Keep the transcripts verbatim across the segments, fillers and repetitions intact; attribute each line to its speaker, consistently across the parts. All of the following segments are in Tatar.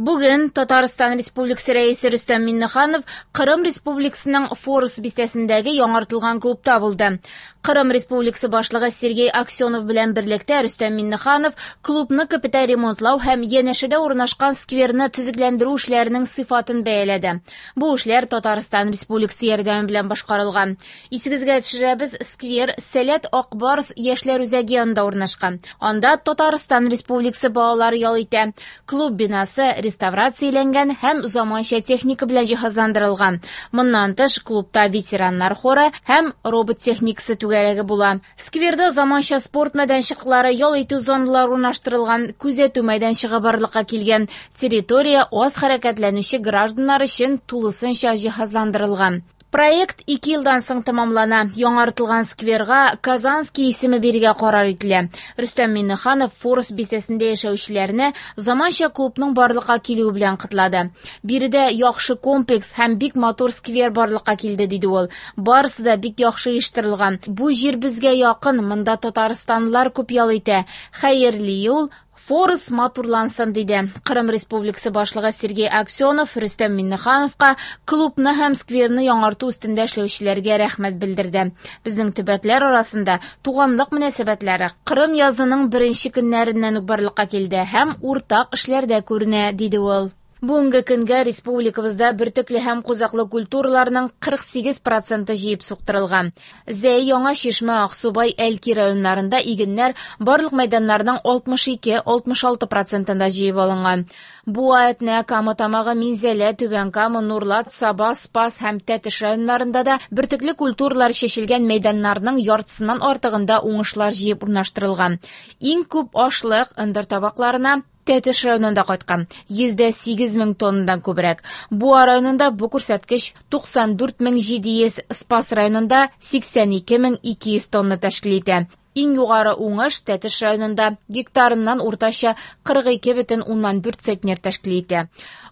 Speaker 1: Бүген Татарстан Республикасы Рәисе Рөстәм Миңнеханов Кырым Республикасының Форус бистәсендәге яңартылган клубта булды. Кырым Республикасы башлыгы Сергей Аксенов белән берлектә Рөстәм Миңнеханов клубны капиталь ремонтлау һәм янәшәдә урнашкан скверны төзекләндерү эшләренең сыйфатын бәяләде. Бу эшләр Татарстан Республикасы ярдәме белән башкарылган. Исегезгә төшерәбез, сквер Сәләт Акбарс яшьләр үзәге янында урнашкан. Анда Татарстан Республикасы балалары ял итә. Клуб бинасы реставрацияләнгән һәм заманча техника белән җиһазландырылган. Моннан тыш клубта ветераннар хоры һәм робот техникасы түгәрәге була. Скверда заманча спорт мәйданчыклары, ял итү зоналары урнаштырылган, күзәтү мәйданчыгы барлыкка килгән. Территория аз хәрәкәтләнүче гражданнар өчен тулысынча җиһазландырылган. Проект ике елдан соң тәмамлана. Яңартылган скверга Казанский исеме бирергә карар ителә. Рөстәм Миңнеханов Форус бистәсендә яшәүчеләрне заманча клубның барлыкка килүе белән котлады. Биредә яхшы комплекс һәм бик матур сквер барлыкка килде, диде ул. Барысы да бик яхшы оештырылган. Бу җир безгә якын, монда татарстанлылар күп ял итә. Хәерле юл, Форус матурлансын, диде. Кырым Республикасы башлыгы Сергей Аксенов Рөстәм Миңнехановка клубны һәм скверны яңарту өстендә эшләүчеләргә рәхмәт белдерде. Безнең төбәкләр арасында туганлык мөнәсәбәтләре Кырым язының беренче көннәреннән үк барлыкка килде һәм уртак эшләрдә күренә, диде ул. Бүгенге көнгә республикабызда бөртекле һәм кузаклы культураларның кырык сигез проценты җыеп суктырылган. Зәй, Яңа Чишмә, Аксубай, Әлки районнарында игеннәр барлык мәйданнарның алтмыш ике, алтмыш алты процентында җыеп алынган. Буа, Әтнә, Кама Тамагы, Минзәлә, Түбән Кама, Нурлат, Саба, Спас һәм Тәтеш районнарында да бөртекле культуралар чәчелгән мәйданнарның яртысыннан артыгында уңышлар җыеп урнаштырылган. Иң күп ашлык ындыр табакларына Тәтеш районында кайткан, йөздә сигез мең тоннадан күбрәк. Буа районында бу күрсәткеч туксан дүрт мең җиде йөз, Спас районында сиксән ике мең ике йөз тонна тәшкил итә. Иң югары уңыш Тәтеш районында гектарыннан уртача кырык ике бөтен уннан дүрт центнер тәшкил итә.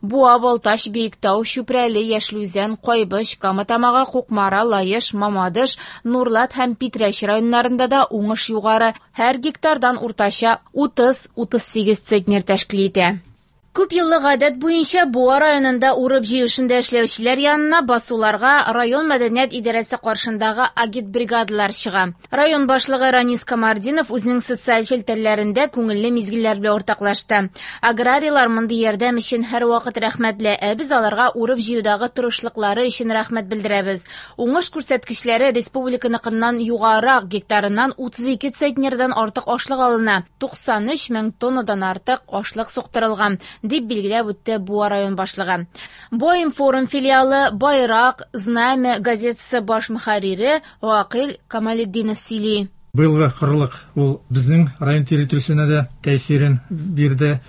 Speaker 1: Буа, Балтач, Биектау, Чүпрәле, Яшел Үзән, Кайбыч, Кама Тамагы, Кукмара, Лаеш, Мамадыш, Нурлат һәм Питрәч районнарында да уңыш югары, һәр гектардан уртача утыз, утыз сигез центнер тәшкил итә. Күп еллык гадәт буенча Буа районында урып җыю эшендә эшләүчеләр янына басуларга район мәдәният идарәсе каршындагы агитбригадалар чыга. Район башлыгы Ранис Камартдинов үзенең социаль челтәрләрендә күңелле мизгелләр белән уртаклашты. Аграрийлар мондый ярдәм өчен һәрвакыт рәхмәтле, ә без аларга урып җыюдагы тырышлыклары өчен рәхмәт белдерәбез. Уңыш күрсәткечләре республиканыкыннан югарырак, гектарыннан утыз ике центнердан артык ашлык алына, туксан өч мең тоннадан артык ашлык суктырылган, дип билгеләп үтте Буа район башлыгы. Баинформ филиалы Байрак, Знамя газетасы баш мөхәррире Вакил Камалетдинов сөйли.
Speaker 2: Быелгы кырлык ул безнең район территориясенә дә тәэсирен бирде.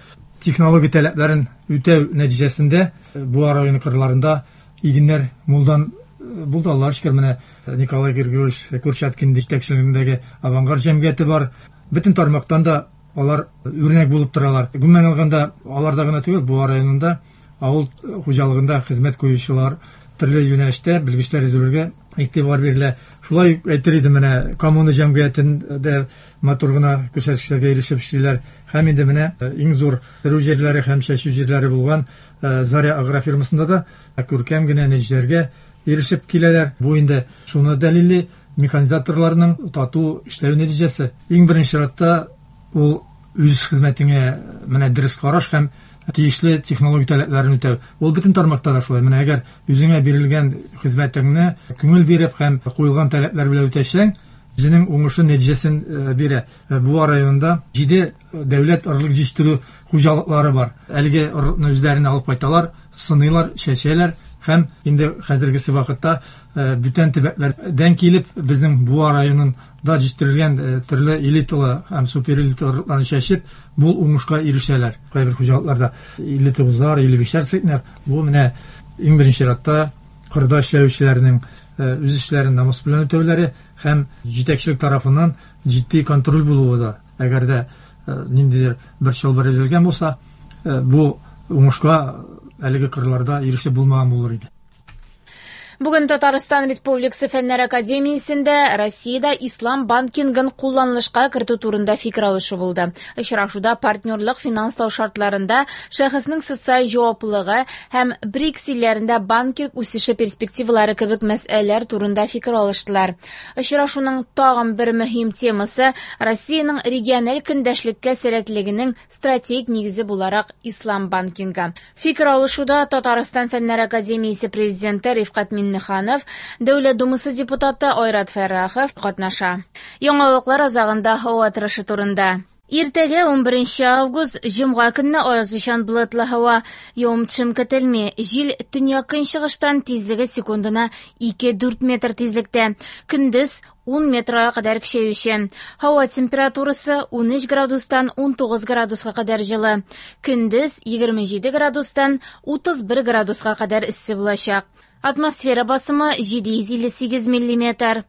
Speaker 2: Технология таләпләрен үтәү нәтиҗәсендә Буа районы кырларында игеннәр мулдан булды. Аллаһка шөкер, менә Николай Григорьевич Курчаткин җитәкчелегендәге Авангард җәмгыяте бар. Бөтен тармактан да алар үрнәк булып торалар. Гомумән алганда, аларда гына түгел, Буа районында авыл хуҗалыгында хезмәт куючылар төрле юнәлештә белгечләр әзерләүгә игътибар бирелә. Шулай ук әйтер идем, менә коммуна җәмгыятендә матур гына күрсәткечләргә ирешеп эшлиләр. Һәм инде менә иң зур терү җирләре һәм чәчү җирләре булган, э, Заря агрофирмасында да күркәм генә нәтиҗәләргә ирешеп киләләр. Бу инде шуны дәлилли, механизаторларның тату эшләү нәтиҗәсе. Иң беренче чиратта ул үз хезмәтеңә менә дөрес караш һәм тиешле технология таләпләрен үтәү. Ул бөтен тармакта да шулай. Менә әгәр үзеңә бирелгән хезмәтеңне күңел биреп һәм куелган таләпләр белән үтәсәң, үзенең уңышы нәтиҗәсен, э, бирә. Э, Буа районында җиде дәүләт орлык җитештерү хуҗалыклары бар. Әлеге орлыкны үзләренә алып кайталар, сыныйлар, чәчәләр һәм инде хәзергесе вакытта, э, бүтән төбәкләрдән килеп безнең Буа районында җитештерелгән, э, төрле элиталы һәм суперэлиталы орлыкларны чәчеп, бу уңышка ирешәләр. Кайбер хуҗалыкларда илле тугызлар, илле бишләр центнер. Бу менә иң беренче чиратта кырда эшләүчеләрнең, э, үз эшләрен намус белән үтәүләре һәм җитәкчелек тарафыннан җитди контроль булуы да. Әгәр дә, э, ниндидер бер чылбыр өзелгән булса, э, бу уңышка әлеге кырларда ирешеп булмаган булыр иде.
Speaker 1: Бүген Татарстан Республикасы Фәннәр академиясендә Россиядә ислам банкингын кулланылышка кертү турында фикер алышу булды. Очрашуда партнерлык финанслау шартларында шәхеснең социаль җаваплылыгы һәм БРИКС илләрендә банкинг үсеше перспективалары кебек мәсьәләләр турында фикер алыштылар. Очрашуның тагын бер мөһим темасы Россиянең региональ көндәшлеккә сәләтлегенең стратегик нигезе буларак ислам банкингы. Фикер алышуда Татарстан Фәннәр академиясе президенты Рифкать Миңнеханов, Дәүләт Думасы депутаты Айрат Фәррахов катнаша. Яңалыклар азагында һава торышы турында. Иртәгә ун беренче август җомга көнне аязучан болытлы һава, явым-төшем көтелми. Җил төньяк-көнчыгыштан, тизлеге секундына ике-дүрт метр тизлектә. Көндез ун метрга кадәр көчәюче. Һава температурасы ун өч градустан ун тугыз градуска кадәр җылы. Көндез егерме җиде градустан утыз бер градуска кадәр эссе булачак. Атмосфера басымы җиде йөз илле сигез миллиметр.